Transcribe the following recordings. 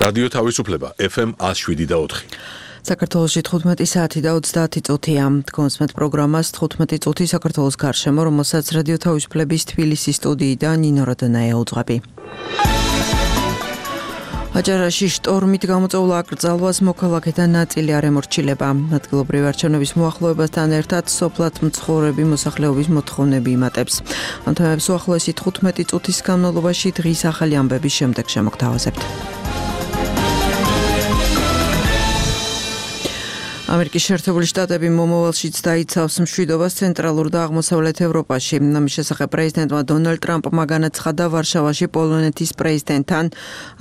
რადიო თავისუფლება FM 107.4. საქართველოში 15 საათი და 30 წუთია. კონსმეთ პროგრამას 15 წუთი საქართველოს გარშემო, რომელსაც რადიო თავისუფლების თბილისის სტუდიიდან ნინო როდონაია უძღვები. აჭარაში შტორმით გამოწვეულ აკრძალვას მოქალაქეთა ნაწილი არ ემორჩილება. ადგილობრივი არჩევნების მოახლოებასთან ერთად სოფლად მცხოვრები მოსახლეობის მოთხოვნები იმატებს. ამ თემებს უახლოესი 15 წუთის განმავლობაში დღის ახალი ამბების შემდეგ შემოგთავაზებთ. ამერიკის შეერთებული შტატები მომავალშიც დაიცავს მშვიდობას ცენტრალურ და აღმოსავლეთ ევროპაში. ამის შესახებ პრეზიდენტმა დონალდ ტრამპმა განაცხადა ვარშავაში პოლონეთის პრეზიდენტთან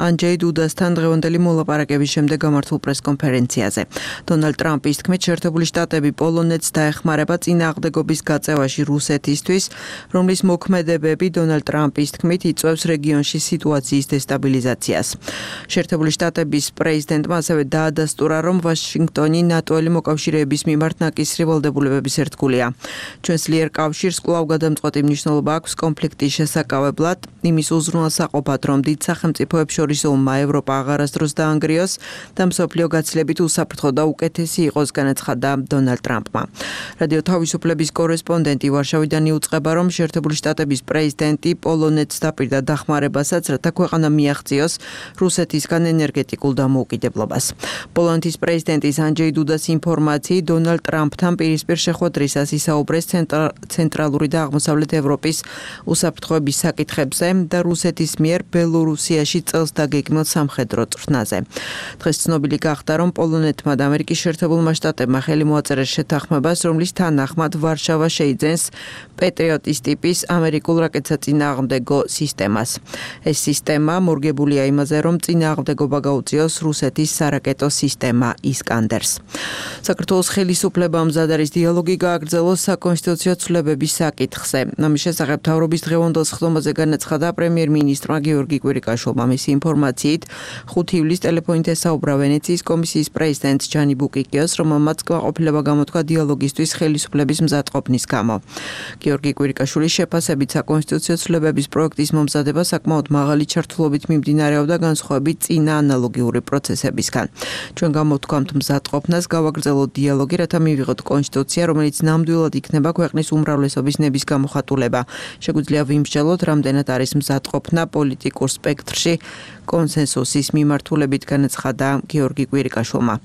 ანჯეი დუდასთან დღევანდელი მოლაპარაკების შემდეგ გამართულ პრესკონფერენციაზე. დონალდ ტრამპის თქმით, შეერთებული შტატები პოლონეთს დაეხმარება წინააღმდეგობის გაწევაში რუსეთისთვის, რომლის მოქმედებები დონალდ ტრამპის თქმით იწვევს რეგიონში სიტუაციის დესტაბილიზაციას. შეერთებული შტატების პრეზიდენტმა ასევე დაადასტურა, რომ ვაშინგტონი ნატო მოკავშირეების მიმართ ნაკისრი ვალდებულებების ერთგულია. ჩვენს ძლიერ კავშირს კვლავ გადამწყვეტი მნიშვნელობა აქვს კონფლიქტის შესაკავებლად, იმის უზრუნველსაყოფად, რომ დიდ სახელმწიფოებს შორის ომმა ევროპა აღარასდროს დაანგრიოს და მსოფლიო გაცილებით უსაფრთხო და უკეთესი იყოს, განაცხადა დონალდ ტრამპმა. რადიო თავისუფლების კორესპონდენტი ვარშავიდან იუწყება, რომ შეერთებული შტატების პრეზიდენტი პოლონეთს დაპირდა დახმარებასაც, რათა ქვეყანა მიაღწიოს რუსეთისგან ენერგეტიკულ დამოუკიდებლობას. პოლონეთის პრეზიდენტის ანჯეი დუდას ინფორმაციით დონალდ ტრამპთან პირისპირ შეხვედრისას ისაუბრეს ცენტრალური და აღმოსავლეთ ევროპის უსაფრთხოების საკითხებზე და რუსეთის მიერ ბელორუსიაში წელს დაგეგმილ სამხედრო წვრთნაზე. დღეს ცნობილი გახდა, რომ პოლონეთმა და ამერიკის შეერთებულმა შტატებმა ხელი მოაწერეს შეთანხმებას, რომლის თანახმად ვარშავა შეიძენს პეტრიოტის ტიპის ამერიკულ რაკეტსაწინააღმდეგო სისტემას. ეს სისტემა მორგებულია იმაზე, რომ წინააღმდეგობა გაუწიოს რუსეთის სარაკეტო სისტემა ისკანდერს. საქართველოს ხელისუფლებამ მზად არის დიალოგი გააგრძელოს საკონსტიტუციო ცვლილებების საკითხზე. ამის შესახებ მთავრობის დღევანდელ სხდომაზე განაცხადა პრემიერ-მინისტრმა გიორგი კვირიკაშვილმა. მისი ინფორმაციით 5 ივლისს ტელეფონით ესაუბრა ვენეციის კომისიის პრეზიდენტს ჯანი ბუკიკიოს, რომელმაც კმაყოფილება გამოთქვა დიალოგისთვის ხელისუფლების მზადყოფნის გამო. გიორგი კვირიკაშვილის შეფასებით საკონსტიტუციო ცვლილებების პროექტის მომზადება საკმაოდ მაღალი ჩართულობით მიმდინარეობდა განსხვავებით წინა ანალოგიური პროცესებისგან. ჩვენ გამოვთქვამთ მზადყოფნას გავაგრძელოთ დიალოგი, რათა მივიღოთ კონსტიტუცია, რომელიც ნამდვილად იქნება ქვეყნის უმრავლესობის ნების გამოხატულება. შეგვიძლია ვიმსჯელოთ, რამდენად არის მზადყოფნა პოლიტიკურ სპექტრში კონსენსუსის მიმართულებით, განაცხადა გიორგი კვირიკაშვილმა.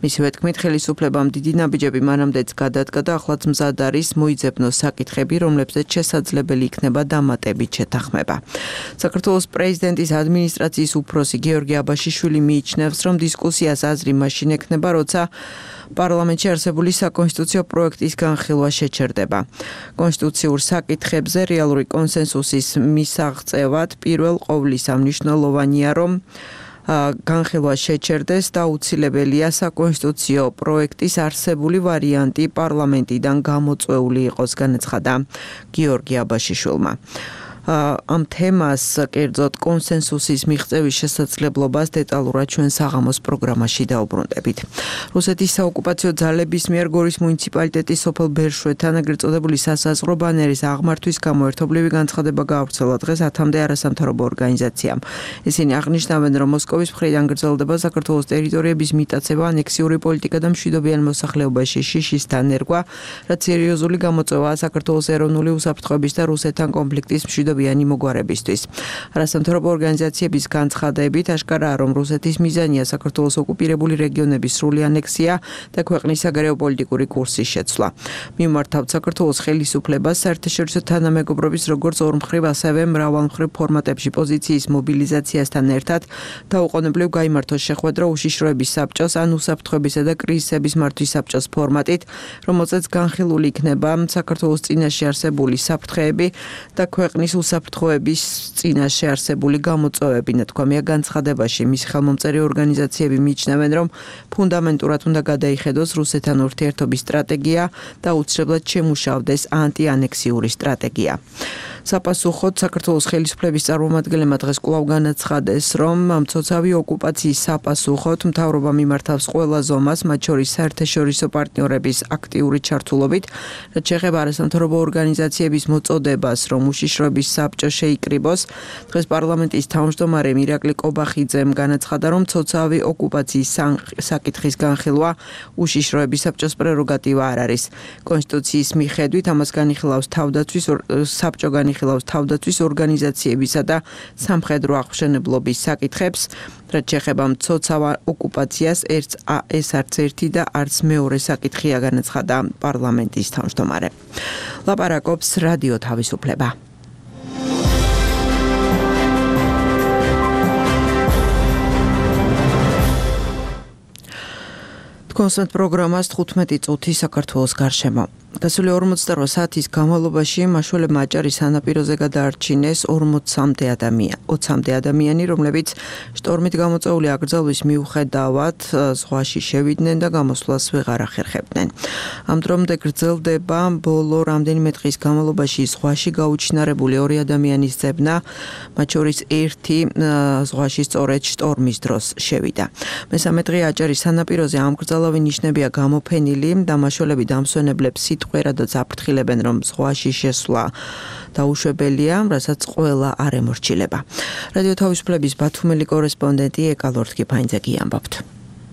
მისივე თქმით, ხელისუფლებამ დიდი ნაბიჯები მანამდეც გადადგა და ახლაც მზად არის მოიძებნოს საკითხები, რომლებზეც შესაძლებელი იქნება დამატებით შეთანხმება. საქართველოს პრეზიდენტის ადმინისტრაციის უფროსი გიორგი აბაშიშვილი მიიჩნევს, რომ დისკუსიას აზრი მაშინ ექნება, როცა პარლამენტში არსებული საკონსტიტუციო პროექტის განხილვა შეჩერდება. კონსტიტუციურ საკითხებზე რეალური კონსენსუსის მისაღწევად პირველ ყოვლისა მნიშვნელოვანია, რომ განხილვა შეჩერდეს და აუცილებელია საკონსტიტუციო პროექტის არსებული ვარიანტი პარლამენტიდან გამოწვეული იყოს, განაცხადა გიორგი აბაშიშვილმა. ამ თემას კერძოდ კონსენსუსის მიღწევის შესაძლებლობას დეტალურად ჩვენ საღამოს პროგრამაში დაუბრუნდებით. რუსეთის საოკუპაციო ძალების მიერ გორის მუნიციპალიტეტის სოფელ ბერშვეთთან ეგრეთ წოდებული სასაზღვრო ბანერის აღმართვის გამო ერთობლივი განცხადება გაავრცელა დღეს 10-მდე არასამთავრობო ორგანიზაციამ. ისინი აღნიშნავენ, რომ მოსკოვის მხრიდან გრძელდება საქართველოს ტერიტორიების მიტაცება, ანექსიური პოლიტიკა და მშვიდობიან მოსახლეობაში შიშის დანერგვა, რაც სერიოზული გამოწვევაა საქართველოს ეროვნული უსაფრთხოების და რუსეთთან კონფლიქტის მშვიდობიანი მოგვარებისთვის. არასამთავრობო ორგანიზაციების განცხადებით აშკარაა, რომ რუსეთის მიზანია საქართველოს ოკუპირებული რეგიონების სრული ანექსია და ქვეყნის საგარეო პოლიტიკური კურსის შეცვლა. მიმართავთ საქართველოს ხელისუფლებას საერთაშორისო თანამეგობრობის როგორც ორმხრივ, ასევე მრავალმხრივ ფორმატებში პოზიციის მობილიზაციასთან ერთად დაუყოვნებლივ გაიმართოს შეხვედრა უშიშროების საბჭოს ან უსაფრთხოებისა და კრიზისების მართვის საბჭოს ფორმატით, რომელზეც განხილული იქნება საქართველოს წინაშე არსებული საფრთხეები და ქვეყნის უსაფრთხოების წინაშე არსებული გამოწვევები. ნათქვამია განცხადებაში, მის ხელმომწერი ორგანიზაციები მიიჩნევენ, რომ ფუნდამენტურად უნდა გადაიხედოს რუსეთთან ურთიერთობის სტრატეგია და აუცილებლად შემუშავდეს ანტიანექსიური სტრატეგია. საპასუხოდ საქართველოს ხელისუფლების წარმომადგენლებმა დღეს კვლავ განაცხადეს, რომ მცოცავი ოკუპაციის საპასუხოდ მთავრობა მიმართავს ყველა ზომას, მათ შორის საერთაშორისო პარტნიორების აქტიური ჩართულობით, რაც შეეხება არასამთავრობო ორგანიზაციების მოწოდებას, რომ უშიშროების საბჭო შეიკრიბოს. დღეს პარლამენტის თავმჯდომარე ირაკლი კობახიძემ განაცხადა, რომ მცოცავი ოკუპაციის საკითხის განხილვა უშიშროების საბჭოს პრეროგატივა არ არის. კონსტიტუციის მიხედვით ამას განიხილავს საბჭო განიხილავს თავდაცვის ორგანიზაციებისა და სამხედრო აღმშენებლობის საკითხებს, რაც შეეხება მცოცავ ოკუპაციას, ეს არც ერთი და არც მეორე საკითხია, განაცხადა პარლამენტის თავმჯდომარე. ლაპარაკობს რადიო თავისუფლება. კონსერტ პროგრამას 15 წუთი საქართველოს გარშემო. გასული 48 საათის განმავლობაში მაშველებმა აჭარის სანაპიროზე გადაარჩინეს 20-მდე ადამიანი, რომლებიც შტორმით გამოწვეული აკრძალვის მიუხედავად ზღვაში შევიდნენ და გამოსვლას ვეღარ ახერხებდნენ. ამ დრომდე გრძელდება ბოლო რამდენიმე დღის განმავლობაში ზღვაში გაუჩინარებული 2 ადამიანის ძებნა, მათ შორის ერთი ზღვაში სწორედ შტორმის დროს შევიდა. მესამე დღე აჭარის სანაპიროზე ამ კრძალავი ნიშნებია გამოფენილი და მაშველები დამსვენებლებს სიტყვერადაც აფრთხილებენ, რომ ზღვაში შესვლა დაუშვებელია, რასაც ყველა არ ემორჩილება. რადიო თავისუფლების ბათუმელი კორესპონდენტი ეკა ლორთქიფაინძე ამბობთ.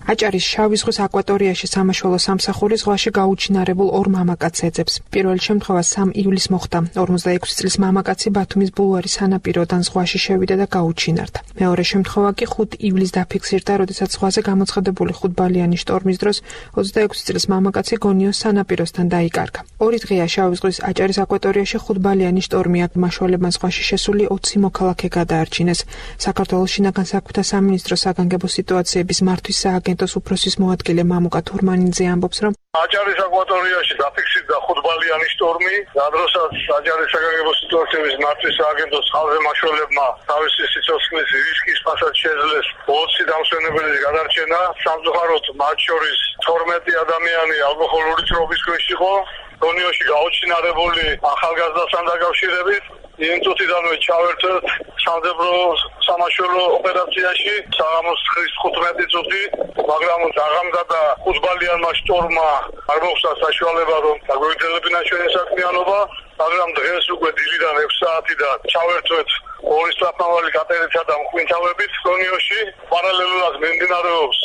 აჭარის შავი ზღვის აკვატორიაში სამაშველო სამსახური ზღვაში გაუჩინარებულ 2 მამაკაცს ეძებს. პირველი შემთხვევა 3 ივლისს მოხდა. 46 წლის მამაკაცი ბათუმის ბულვარის სანაპიროდან ზღვაში შევიდა და გაუჩინარდა. მეორე შემთხვევა კი 5 ივლისს დაფიქსირდა, როდესაც ზღვაზე გამოცხადებული 5-ბალიანი შტორმის დროს 26 წლის მამაკაცი გონიოს სანაპიროსთან დაიკარგა. 2 დღეა შავი ზღვის აჭარის აკვატორიაში 5-ბალიანი შტორმი აქ მაშველებმა ზღვაში შესული 20 მოქალაქე გადაარჩინეს. საქართველოს შინაგან საქმეთა სამინისტროს საგანგებო სიტუაციების მართვის სააგენტოს უფროსის მოადგილე მამუკა თურმანიძე ამბობს, რომ აჭარის აკვატორიაში დაფიქსირდა 5-ბალიანი შტორმი, სადროსაც აჭარის საგანგებო სიტუაციების მართვის სააგენტოს ხალხზე მაშველებმა თავისი სიცოცხლის რისკის ფასად შეძლეს 20 დამსვენებელის გადარჩენა. სამწუხაროდ მათ შორის 12 ადამიანი ალკოჰოლური წრობის ქვეშ იყო. გონიოში გაუჩინარებული ახალგაზრდასთან დაკავშირებით იმ წუთიდანვე ჩავერთვით სამძებრო სამაშველო ოპერაციაში საღამოს 15 წუთი, მაგრამ დაღამდა და 5-ბალიანმა შტორმმა არ მოხდა საშუალება, რომ დაგვეძლებინა ჩვენი საქმიანობა, მაგრამ დღეს უკვე დილიდან 6 საათიდან ჩავერთვით 2 სწრაფმავალი კატერითა და მხვინთავებით გონიოში. პარალელურად მიმდინარეობს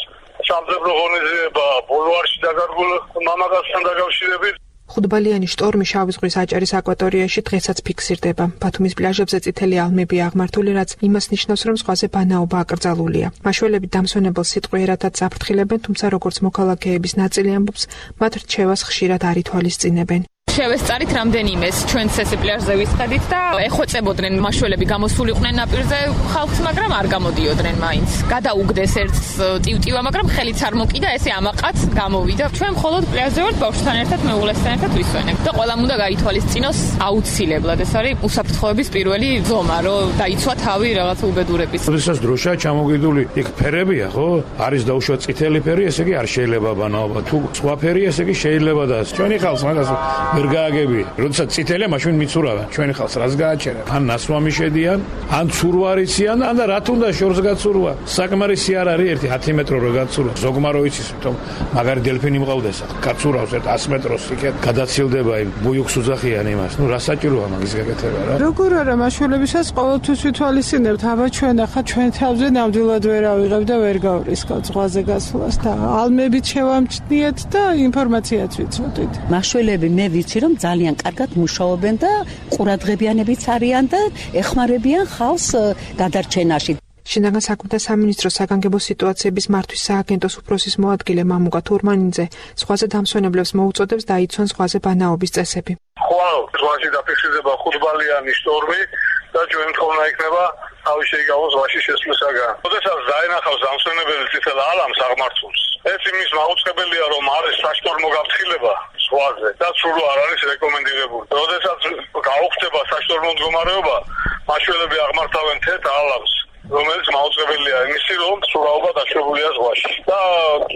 სამძებრო ღონისძიება ბულვარში დაკარგულ მამაკაცთან დაკავშირებით. 5-ბალიანი შტორმი შავი ზღვის აჭარის აკვატორიაში დღესაც ფიქსირდება. ბათუმის პლაჟებზე წითელი ალმებია აღმართული, რაც იმას ნიშნავს, რომ ზღვაზე ბანაობა აკრძალულია. მაშველები დამსვენებელს სიტყვიერადაც აფრთხილებენ, თუმცა როგორც მოქალაქეების ნაწილი ამბობს, მათ რჩევას ხშირად არ ითვალისწინებენ. შევესწარით რამდენიმეს ჩვენც ესე პლაჟზე ვისყედით და ეხვეწებოდნენ მაშველები გამოსულიყვნენ ნაპირზე ხალხს, მაგრამ არ გამოდიოდნენ მაინც. გადაუგდეს ერთს ტივტივა, მაგრამ ხელიც არ მოკიდა, ესე ამაყაც გამოვიდა. ჩვენ მხოლოდ პლაჟზე ვართ ბავშვთან ერთად, მეუღლესთან ერთად ვისვენებ და ყველამ უნდა გაითვალისწინოს აუცილებლად. ეს არის უსაფრთხოების პირველი ზომა, რომ დაიცვა თავი რაღაც უბედურების. როდესაც დროშა ჩამოგიდული, იქ ფერებია, ხო? არის დაუშვა წითელი ფერი, ესე იგი არ შეიძლება ბანაობა. თუ სხვა ფერი, ესე იგი შეიძლება და ჩვენი ხალხს მაგას ვერ გააგები. როდესაც წითელია, მაშინ მიცურავენ. ჩვენი ხალხს რას გააჩერა? ან ნასვამი შედიან, ან ცურვარიციან, ან და რა თუნდა შორს გაცურვა. საკმარისი არ არის 10 მეტრო რო გაცურვა. ზოგმა რო იცის, თუმ მაგარი დელფინი მყავდეს, გაცურავს 100 მეტროს იქეთ, გადაცილდება იმ ბუიუქს უძახიან იმას. ნუ რა საჭიროა მაგის გაკეთება რა? როგორ არა მაშველებისაც ყოველთვის ვითვალისწინებთ, აბა ჩვენ ახლა ჩვენ თავზე ნამდვილად ვერ ავიღებ და ვერ გავრისკავთ ზღვაზე გასვლას და ალმებით შევამჩნიეთ და ინფორმაციაც ვიცოდით. მაშველები მე ვიცი რომ ძალიან კარგად მუშაობენ და ყურადღებიანებიც არიან და ეხმარებიან ხალხს გადარჩენაში. შინაგან საქმეთა სამინისტროს საგანგებო სიტუაციების მართვის სააგენტოს უფროსის მოადგილე მამუკა თურმანიძე ზღვაზე დამსვენებლებს მოუწოდებს დაიცვან ზღვაზე ბანაობის წესები. ხვალ ზღვაში დაფიქსირდება 5-ბალიანი შტორმი და ჩვენ თხოვნა იქნება თავი შეიგავოს ზღვაში შესვლისაგან. როდესაც დაენახავს დამსვენებელი წითელ ალამს აღმართულს, ეს იმის მაუწყებელია, რომ არის საშტორმო გაფრთხილება ზღვაზე და სულ არ არის რეკომენდირებული. როდესაც გაუხდება საშტორმო მდგომარეობა, მაშველები აღმართავენ თეთრ ალამს რომელიც მაუწყებელია იმისი, რომ სურაობა დაშვებულია ზღვაში. და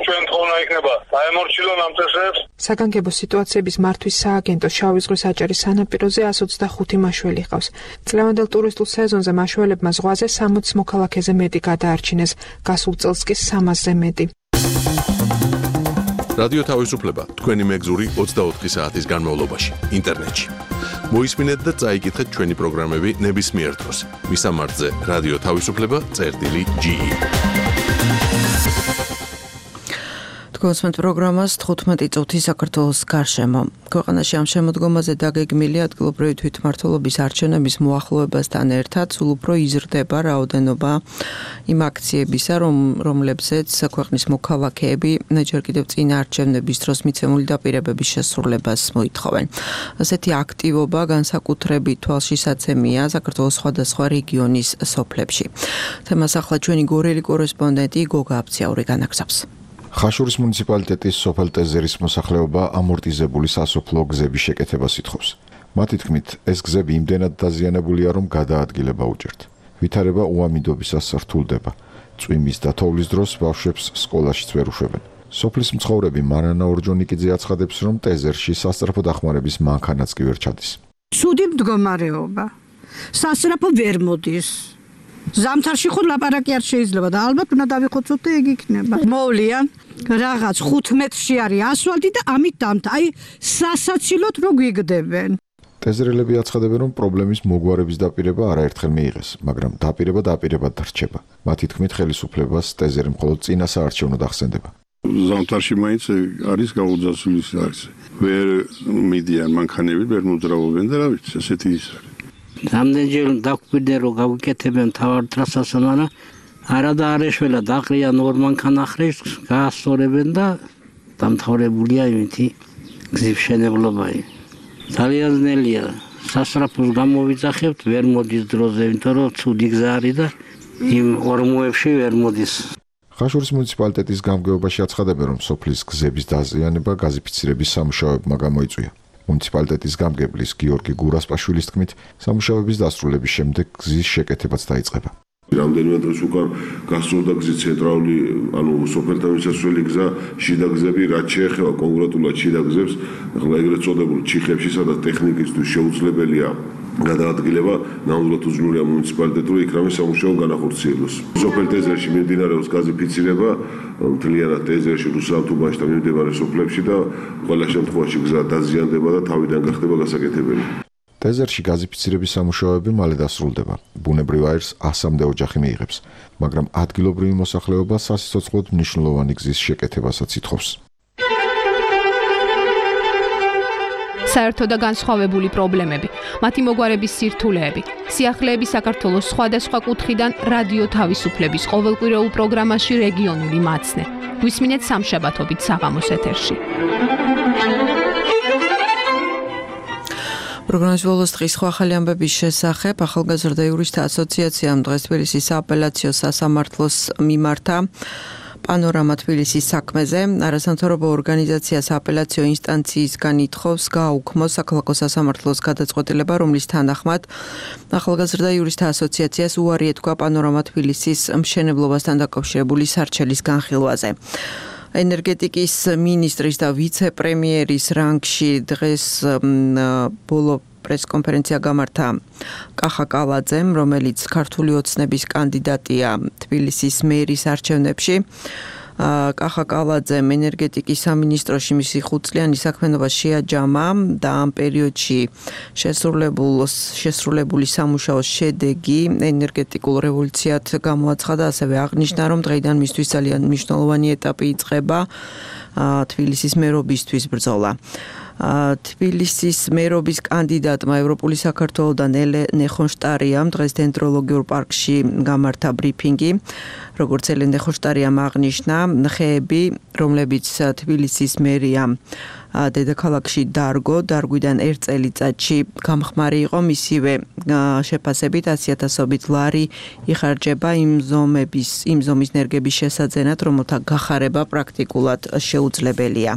ჩვენ თხოვნა იქნება დაემორჩილონ ამ წესებს. საგანგებო სიტუაციების მართვის სააგენტოს შავი ზღვის აჭარის სანაპიროზე 125 მაშველი ჰყავს. წლევანდელ ტურისტულ სეზონზე მაშველებმა ზღვაზე 60 მოქალაქეზე მეტი გადაარჩინეს, გასულ წელს კი 300-ზე მეტი. რადიო თავისუფლება თქვენი მეგზური 24 საათის განმავლობაში ინტერნეტში. მოისმინეთ და წაიკითხეთ ჩვენი პროგრამები ნებისმიერ დროს. მისამართზე რადიო თავისუფლება.ge. თქვენს პროგრამას 15 წუთი საქართველოს გარშემო. ქვეყანაში ამ შემოდგომაზე დაგეგმილი ადგილობრივი თვითმმართველობის არჩევნების მოახლოებასთან ერთად სულ უფრო იზრდება რაოდენობა იმ აქციებისა, რომლებზეც ქვეყნის მოქალაქეები ჯერ კიდევ წინა არჩევნების დროს მიცემული დაპირებების შესრულებას მოითხოვენ. ასეთი აქტივობა განსაკუთრებით თვალშისაცემია საქართველოს სხვადასხვა რეგიონის სოფლებში. თემას ახლა ჩვენი გორელი კორესპონდენტი გოგა აფციაური განაგზავს. ხაშურის მუნიციპალიტეტის სოფელ ტეზერის მოსახლეობა ამორტიზებული სასოფლო გზების შეკეთებას ითხოვს. მათი თქმით, ეს გზები იმდენად დაზიანებულია, რომ გადაადგილება უჭერთ. ვითარება უამიდობისას რთულდება. წვიმის და თოვლის დროს ბავშვებს სკოლაშიც ვერ უშვებენ. სოფლის მცხოვრები მარანა ორჯონიკიძე აცხადებს, რომ ტეზერში სასწრაფო დახმარების მანქანაც კი ვერ ჩადის. ცუდი მდგომარეობა. სასწრაფო ვერ მოდის. ზამთარში ხო ლაპარაკი არ შეიძლება და ალბათ უნდა დავიხოცოთ და ეგ იქნება. მოვლიან რაღაც 5 მეტრში არის ასფალტი და ამით დამთა. აი სასაცილოდ რო გვიგდებენ. ტეზერელები აცხადებენ, რომ პრობლემის მოგვარების დაპირება არაერთხელ მიიღეს, მაგრამ დაპირებად რჩება. მათი თქმით, ხელისუფლებას ტეზერი მხოლოდ წინა საარჩევნოდ ახსენდება. ზამთარში მაინც არის გაუძასული საქმე. ვერ მიდიან მანქანები, ვერ მოძრაობენ და რა ვიცი, ესეთი ის არის. რამდენჯერ დაგვიკვირდნენ რომ გავიკეთებენ თავარ ტრასას, მაგრამ არა და არეშველა დაყრიან ორ მანქანახრებს, გაასწორებენ და დამთავრებულია იმითი გზის მშენებლობა. ძალიან ძნელია. სასწრაფოს გამოვიძახებთ, ვერ მოდის დროზე, იმიტომ რომ ცუდი გზა არის და იმ ორმოებში ვერ მოდის. ხაშურის მუნიციპალიტეტის გამგეობაში აცხადებენ, რომ სოფლის გზების დაზიანება გაზიფიცირების სამუშაოებმა გამოიწვია. მუნიციპალიტეტის გამგებლის გიორგი გურასპაშვილის თქმით, სამუშაოების დასრულების შემდეგ გზის შეკეთებაც დაიწყება. რამდენიმე დროს უკან გასწორდა გზის ცენტრალური, სოფელთან მისასვლელი გზა, შიდა გზები, რაც შეეხება კონკრეტულად შიდა გზებს, ახლა ეგრეთ წოდებულ ჩიხებში, სადაც ტექნიკისთვის შეუძლებელია გადაადგილება, ნამდვილად უძლურია მუნიციპალიტეტს, რომ იქ რამე სამუშაო განახორციელოს. სოფელ ტეზერში მიმდინარეობს გაზიფიცირება, მთლიანად ტეზერში, რუსალთუბანში და მიმდებარე სოფლებში და ყველა შემთხვევაში გზა დაზიანდება და თავიდან გახდება გასაკეთებელი. ტეზერში გაზიფიცირების სამუშაოები მალე დასრულდება. ბუნებრივ აირს 100-მდე ოჯახი მიიღებს, მაგრამ ადგილობრივი მოსახლეობა სასიცოცხლოდ მნიშვნელოვანი გზის შეკეთებასაც ითხოვს. საერთო და განსხვავებული პრობლემები, მათი მოგვარების სირთულეები, სიახლეები საქართველოს სხვადასხვა კუთხიდან რადიო თავისუფლების ყოველკვირეულ პროგრამაში რეგიონული მაცნე. გვისმინეთ სამშაბათობით საღამოს ეთერში. პროგრამის ბოლოს დღის სხვა ახალი ამბების შესახებ ახალგაზრდა იურისტთა ასოციაციამ დღეს თბილისის სააპელაციო სასამართლოს მიმართა პანორამა თბილისის საქმეზე. არასამთავრობო ორგანიზაცია სააპელაციო ინსტანციისგან ითხოვს გააუქმოს საქალაქო სასამართლოს გადაწყვეტილება, რომლის თანახმად ახალგაზრდა იურისტთა ასოციაციას უარი ეთქვა პანორამა თბილისის მშენებლობასთან დაკავშირებული სარჩელის განხილვაზე. ენერგეტიკის მინისტრის და ვიცე-პრემიერის რანგში დღეს ბოლო პრესკონფერენცია გამართა კახა კალაძემ, რომელიც ქართული ოცნების კანდიდატია თბილისის მერის არჩევნებში. კახა კალაძემ ენერგეტიკის სამინისტროში მისი 5-წლიანი საქმიანობა შეაჯამა და ამ პერიოდში შესრულებული სამუშაოს შედეგი ენერგეტიკულ რევოლუციად გამოაცხადა, ასევე აღნიშნა, რომ დღეიდან მისთვის ძალიან მნიშვნელოვანი ეტაპი იწყება თბილისის მერობისთვის ბრძოლა. თბილისის მერობის კანდიდატმა ევროპული საქართველოდან ელენე ხონშტარიამ დღეს დენდროლოგიურ პარკში გამართა ბრიფინგი. როგორც ელენე ხონშტარიამ აღნიშნა, ხეები, რომლებიც თბილისის მერიამ დედაქალაქში დარგვიდან 1 წელიწადში გამხმარი იყო, მისივე შეფასებით 100,000-ობით ლარი იხარჯება იმ ზომის ნერგების შესაძენად, რომელთა გახარება პრაქტიკულად შეუძლებელია.